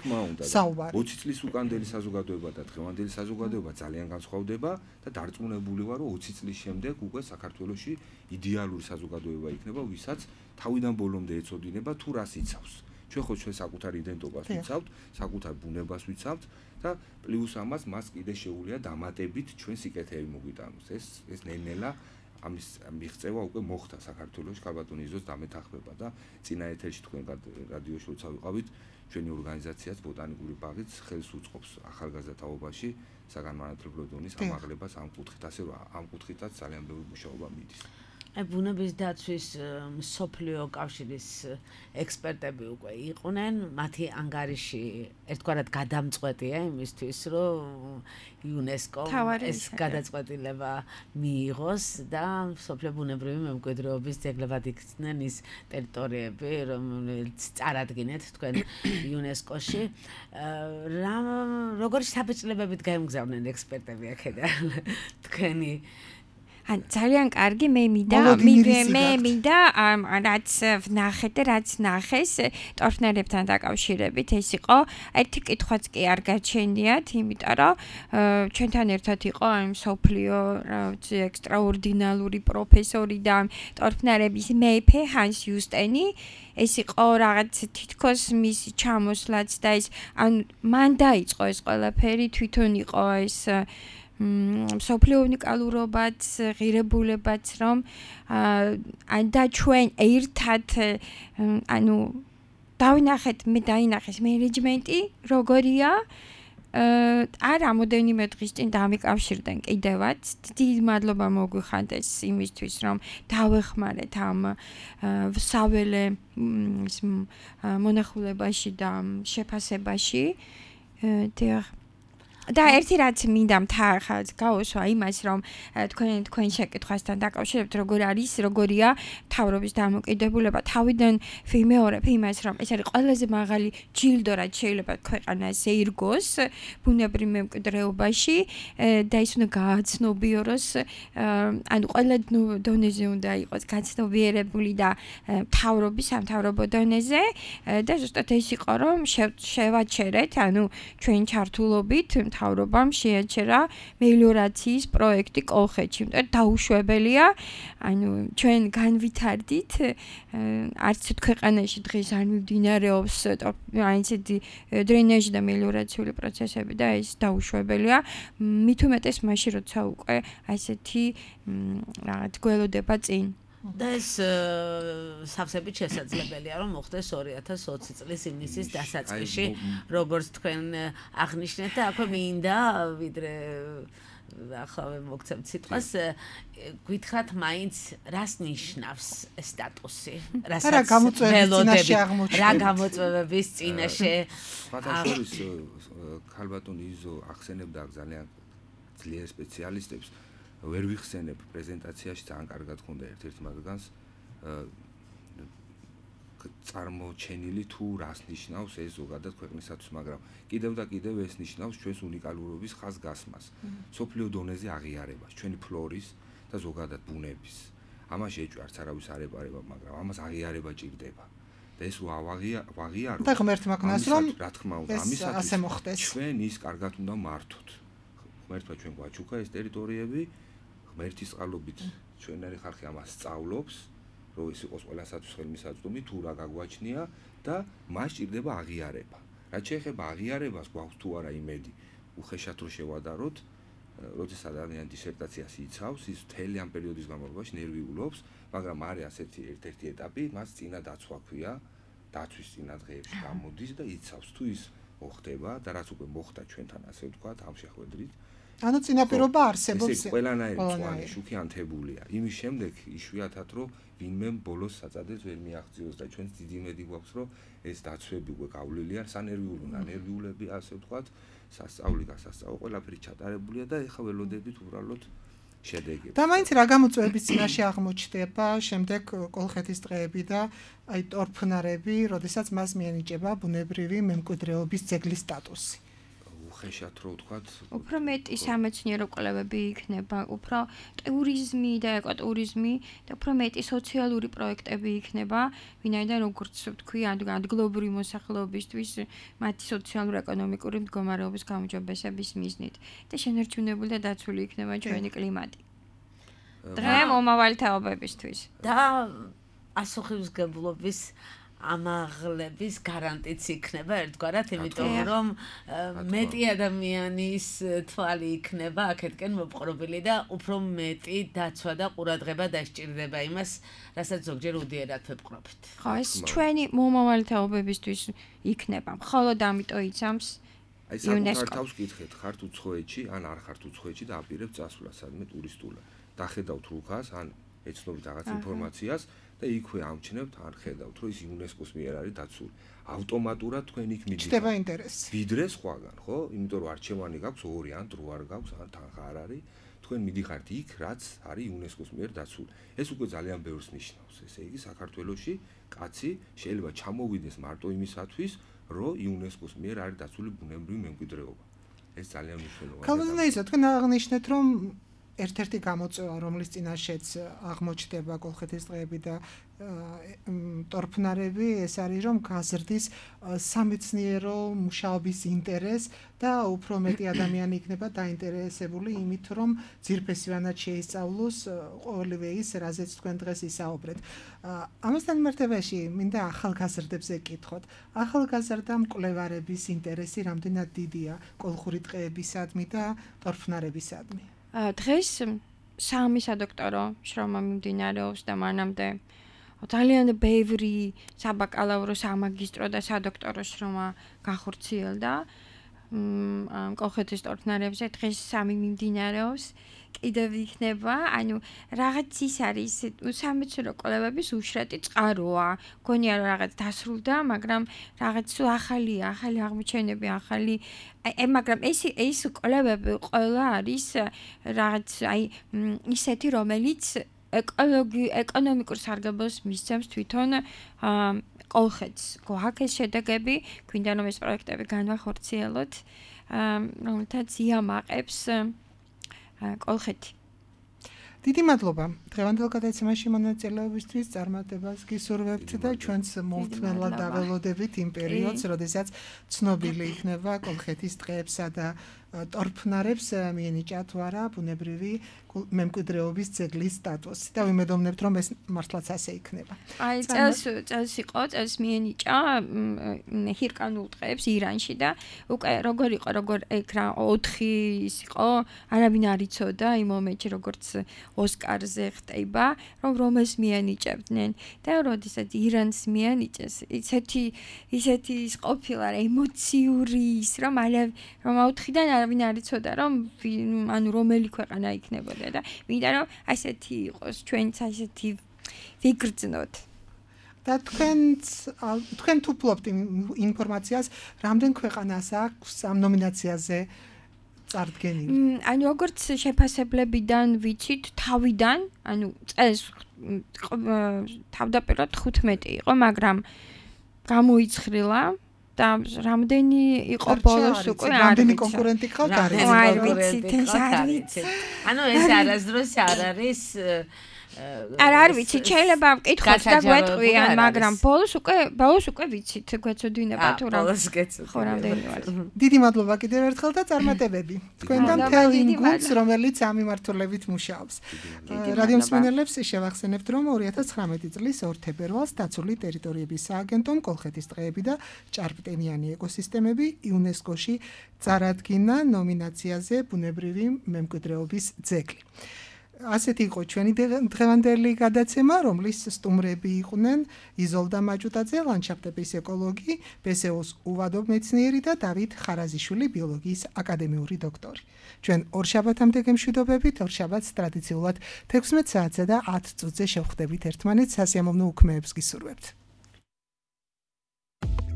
C: საუბარი.
D: 20 წლის უკანდელი საზოგადოება და დღევანდელი საზოგადოება ძალიან განსხვავდება და დარწმუნებული ვარ, რომ 20 წლის შემდეგ უკვე საქართველოში იდეალური საზოგადოება იქნება, ვისაც თავიდან ბოლომდე ეწოდინება თუ რას იცავს. ჩვენ ხო ჩვენ საკუთარ იდენტობას ვიცავთ, საკუთარ ბუნებას ვიცავთ და პლუს ამას მას კიდე შეუძლია დამატებით ჩვენ სიკეთეები მოგვიტანოს. ეს ნელ-ნელა ამის მიღწევა უკვე მოხდა საქართველოში, ქალბატონი იზოს დამეთანხმება და წინა ეთერში თქვენ რადიოში როცა ვიყავით, ჩვენი ორგანიზაციაც ბოტანიკური ბაღიც ხელს უწყობს ახალგაზრდა თაობაში საგანმანათლებლო დონის ამაღლებას ამ კუთხით, ასე რომ ამ კუთხითაც ძალიან ბევრი მუშაობა მიდის.
B: ბუნების დაცვის მსოფლიო კავშირის ექსპერტები უკვე იყვნენ, მათი ანგარიში ერთგვარად გადამწყვეტია იმისთვის, რომ იუნესკომ ეს გადაწყვეტილება მიიღოს და მსოფლიო ბუნებრივი მემკვიდრეობის ძეგლებად იქცნენ ის ტერიტორიები, რომელიც წარადგინეთ თქვენ იუნესკოში. როგორი საბჭოებებით გაემგზავნენ ექსპერტები აქედან თქვენი
E: ძალიან კარგი მე მინდა რაც ვნახეთ და რაც ნახეს ტორფნერებთან დაკავშირებით ეს იყო ერთი კითხვაც კი არ გაჩენიათ იმიტომ რომ ჩვენთან ერთად იყო აი მსოფლიო ექსტრაორდინალური პროფესორი და ტორფნერების მეფე ჰანს იუსტენი ეს იყო რაღაც თითქოს მისი ჩამოსვლაც და ეს ან მან დაიწყო ეს ყველაფერი თვითონ იყო ეს მსოფლიო უნიკალურობაც, ღირებულებაც, რომ და ჩვენ ერთად ანუ დავინახეთ, მე დაინახეს მენეჯმენტი, როგორია არ რამოდენიმე დღის წინ დამიკავშირდნენ კიდევაც. დიდი მადლობა მოგვიხანდეს იმისთვის, რომ დავეხმარეთ ამ საველე მონახულებაში და შეფასებაში. და ერთი რაც მინდა მთა გავუსვა იმას რომ თქვენ შეკითხვასთან დაკავშირებით როგორ არის როგორია მთავრობის დამოკიდებულება თავიდან ვიმეორებ იმას რომ ეს არის ყველაზე მაღალი ჯილდო რაც შეიძლება ქვეყანაზე ირგოს ბუნებრივ მემკვიდრეობაში და ის უნდა გააცნობიეროს ანუ ყველა დონეზე უნდა იყოს გაცნობიერებული და მთავრობის სამთავრობო დონეზე და ზუსტად ეს იყო რომ შევაჩერეთ ანუ ჩვენ ჩართულობით მთავრობამ შეაჩერა მელიორაციის პროექტი კოლხეთში. დაუშვებელია, ანუ ჩვენ განვითარდით, არც ქვეყანაში დღეს არ მიმდინარეობს აი ესეთი დრენაჟი და მელიორაციული პროცესები და ეს დაუშვებელია. მით უმეტეს მაშინ როცა უკვე ასეთი რაღაც გველოდება წინ.
B: და ეს სავსებით შესაძლებელია რომ მოხდეს 2020 წლის ივნისის დასაწყისში როგორც თქვენ აღნიშნეთ და აქვე მინდა ვიდრე ახლა მოგცემთ სიტყვას გითხრათ მაინც რას ნიშნავს სტატუსი რასაც რა გამოწვევების წინაშე
D: ფაქტობრივად ქალბატონი იზო ახსენებდა ძალიან ძლიერ სპეციალისტებს ვერ ვიხსენებ პრეზენტაციაში ძალიან კარგად ხონდა ერთ-ერთ მათგანს წარმოჩენილი თუ რას ნიშნავს ეს ზოგადად ქვეყნისათვის, მაგრამ კიდევ და კიდევ ეს ნიშნავს ჩვენს უნიკალურობის ხაზგასმას, სოფლიო დონეზე აღიარებას, ჩვენი ფლორის და ზოგადად ბუნების. ამაში ეჭვარც არავის არ ეპარება, მაგრამ ამას აღიარება ჭირდება. და ეს ვაღიარო.
C: და ღმერთმა ქნას რომ
D: რა თქმა უნდა, ამისათვის ჩვენ ის კარგად უნდა მართოთ. ღმერთმა ჩვენ გვაჩუქა ეს ტერიტორიები, ღმერთის წყალობით ჩვენერი ხალხი ამას სწავლობს. რომ ის იყოს ყველასათვის ხელმისაწვდომი თუ რა გაგვაჩნია და მას ჭირდება აღიარება. რაც შეეხება აღიარებას, გვაქვს თუ არა იმედი უხეშად რო შევადაროთ, როდესაც ადამიანი დისერტაციას იცავს, ის მთელი ამ პერიოდის განმავლობაში ნერვიულობს, მაგრამ არის ასეთი ერთ-ერთი ეტაპი, მას წინა დაცვა ქვია, დაცვის წინა დღეებში გამოდის და იცავს თუ ის მოხდება და რაც უკვე მოხდა ჩვენთან ასე ვთქვათ, ამ შეხვედრით.
C: ანუ წინაპირობა არსებობს.
D: ეს ყველანაირი წვანი შუქი ანთებულია. იმის შემდეგ იშვიათად რომ ვინმე ბოლოს საწადებს ვერ მიაღწიოს და ჩვენს დიდი იმედი გვაქვს რომ ეს დაცვები უკვე გავლილია სანერვიულები ასე ვთქვათ, სასწაული გასასწავლო ყველაფერი ჩატარებულია და ეხლა ველოდებით უბრალოდ შედეგები.
C: და მაინც რა გამოწვევების წინაშე აღმოჩნდება შემდეგ კოლხეთის დღეები და აი ტორფნარები, როდესაც მას მიენიჭება ბუნებრივი მემკვიდრეობის ძეგლის სტატუსი.
D: ხეშად რო ვთქვათ,
E: უფრო მეტი სამეცნიერო კვლევები იქნება, უფრო ტურიზმი და ეკოტურიზმი და უფრო მეტი სოციალური პროექტები იქნება, ვინაიდან როგორც ვთქვი, ადგილობრივი მოსახლეობისთვის მათი სოციალურ-ეკონომიკური მდგომარეობის გაუმჯობესების მიზნით და შენარჩუნებული და დაცული იქნება ჩვენი კლიმატი. დღე მომავალი თაობებისთვის
B: და ასოხისმგებლობის ამაღლების გარანტიც იქნება ერთგვარად, იმიტომ რომ მეტი ადამიანის თვალი იქნება აქეთკენ მოპყრობილი და უფრო მეტი დაცვა და ყურადღება დასჭირდება იმას, რასაც ზოგჯერ უდიერად ვეპყრობთ.
E: ხო, ეს ჩვენი მომავალი თაობებისთვის იქნება. მხოლოდ ამიტომ იცამს
D: აი საკუთარ თავს გითხეთ, ხართ უცხოეთში, ან არ ხართ უცხოეთში და აპირებთ წასვლა სადმე ტურისტულად. დახედავთ რუქას, ან ეცნობით რაღაც ინფორმაციას და იქვე ამჩნევთ, ან ხედავთ, რომ ის იუნესკოს მიერ არის დაცული. ავტომატურად თქვენ იქ მიდიხართ.
C: ჩდება ინტერესი.
D: ვიდრე სხვაგან, ხო? იმიტომ რომ არჩევანი გაქვს 2 ან 8 არ გაქვს, ან თანხა არ არის. თქვენ მიდიხართ იქ, რაც არის იუნესკოს მიერ დაცული. ეს უკვე ძალიან ბევრს ნიშნავს. ესე იგი, საქართველოში კაცი შეიძლება ჩამოვიდეს მარტო იმისათვის, რომ იუნესკოს მიერ არის დაცული ბუნებრივი მემკვიდრეობა. ეს ძალიან მნიშვნელოვანია.
C: ქალბატონო, თქვენ აღნიშნეთ, რომ ერთ-ერთი გამოწვევა, რომლის წინაშეც აღმოჩნდება კოლხეთის დღეები და ტორფნარები, ეს არის, რომ გაზრდის სამეცნიერო მუშაობის ინტერესი და უფრო მეტი ადამიანი იქნება დაინტერესებული იმით, რომ ძირფესივანად შეისწავლოს ყოველივე ის, რაზეც თქვენ დღეს ისაუბრეთ. ამასთან მიმართებაში მინდა ახალგაზრდებზე გკითხოთ. ახალგაზრდა მკვლევარების ინტერესი რამდენად დიდია კოლხური დღეებისადმი და ტორფნარებისადმი?
E: დღეს 3 სადოქტორო შრომა მიმდინარეობს და მანამდე ძალიან ბევრი საბაკალავრო, სამაგისტრო და სადოქტორო შრომა გახორციელდა კოლხეთის ტორფნარებზე. დღეს 3 მიმდინარეობს. კიდევ იქნება, ანუ რაღაც ის არის სამეცნიერო კვლევების უშრატი წყაროა. გონია რომ რაღაც დასრულდა, მაგრამ რაღაც ახალი აღმოჩენები, მაგრამ ეს კვლევები ყველა არის რაღაც ისეთი, რომელიც ეკონომიკურ სარგებლოს მისცემს თვითონ კოლხეთს. გვაქვს შედეგები, გვინდა რომ ეს პროექტები განვახორციელოთ, რომელთაც იამაყებს კოლხეთი.
C: დიდი მადლობა. დღევანდელ გადაცემაში მონაწილეობისთვის წარმატებას გისურვებთ და ჩვენს მოვთმელად დაველოდებით იმ პერიოდს, როდესაც ცნობილი იქნება კოლხეთის დღეებსა და ტორფნარებს მიენიჭათ თუ არა ბუნებრივი მემკვიდრეობის ძეგლის სტატუსი და ვიმედოვნებთ, რომ ეს მართლაც ასე იქნება.
E: აი, წელს მიენიჭა ჰირკანულ დღეებს ირანში და უკვე როგორ იყო, როგორ ეგ რა 4 ის იყო, არავინ არ იცოდა იმ მომენტში, როგორც ოსკარზე ხტება, რომ ეს მიენიჭებდნენ და როდესაც ირანს მიენიჭეს, ისეთი ის ყოფილა ემოციური ის, რომ 4-დან არავინ არ იცოდა, რომ ანუ რომელი ქვეყანა იქნებოდა და მინდა რომ ასეთი იყოს ჩვენც ასეთი ვიგრძნოთ.
C: და თქვენ თუ ფლობთ ინფორმაციას, რამდენ ქვეყანას აქვს ამ ნომინაციაზე წარდგენილი?
E: ანუ როგორც შეფასებლებიდან ვიცით, თავიდან, ანუ წელს თავდაპირველად 15 იყო, მაგრამ გამოიცხრილა და რამდენი იყო ბოლოს უკვე
C: რამდენი კონკურენტი ყავთ
E: არ ვიცით.
B: ანუ ეს არასდროს არ არის
E: არ ვიცით, შეიძლება ვკითხოთ და გვეტყვიან, მაგრამ ბოლოს უკვე ვიცით, გვეცოდინება თუ რა. ხო, რამდენი ვარ.
C: დიდი მადლობა კიდევ ერთხელ და წარმატებები. თქვენთან მთელ იმ გუნდს, რომელიც ამ მიმართულებით მუშაობს. რადიო მსმენელებს შევახსენებთ, რომ 2019 წლის 2 თებერვალს დაცული ტერიტორიების სააგენტომ კოლხეთის დღეები და ჭარბტენიანი ეკოსისტემები იუნესკოში წარადგინა ნომინაციაზე ბუნებრივი მემკვიდრეობის ძეგლი. ასეთი იყო ჩვენი დღევანდელი გადაცემა, რომლის სტუმრები იყვნენ იზოლდა მაჭუტაძე, ლანდშაფტების ეკოლოგი, ბესეოს უვადო მეცნიერი და დავით ხარაზიშვილი, ბიოლოგიის აკადემიური დოქტორი. ჩვენ ორშაბათამდე გემშვიდობებით, ორშაბათს ტრადიციულად 16 საათზე და 10 წუთზე შევხვდებით ერთმანეთს, სასიამოვნო უქმეებს გისურვებთ.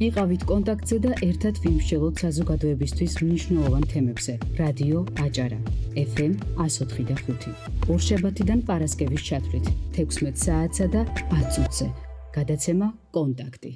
A: იყავით კონტაქტზე და ერთად ვიმსჯელოთ საზოგადოებისთვის მნიშვნელოვან თემებზე. რადიო აჭარა, FM 104.5. ორშაბათიდან პარასკევის ჩათვლით 16 საათსა და 10 წუთზე. გადაცემა კონტაქტი.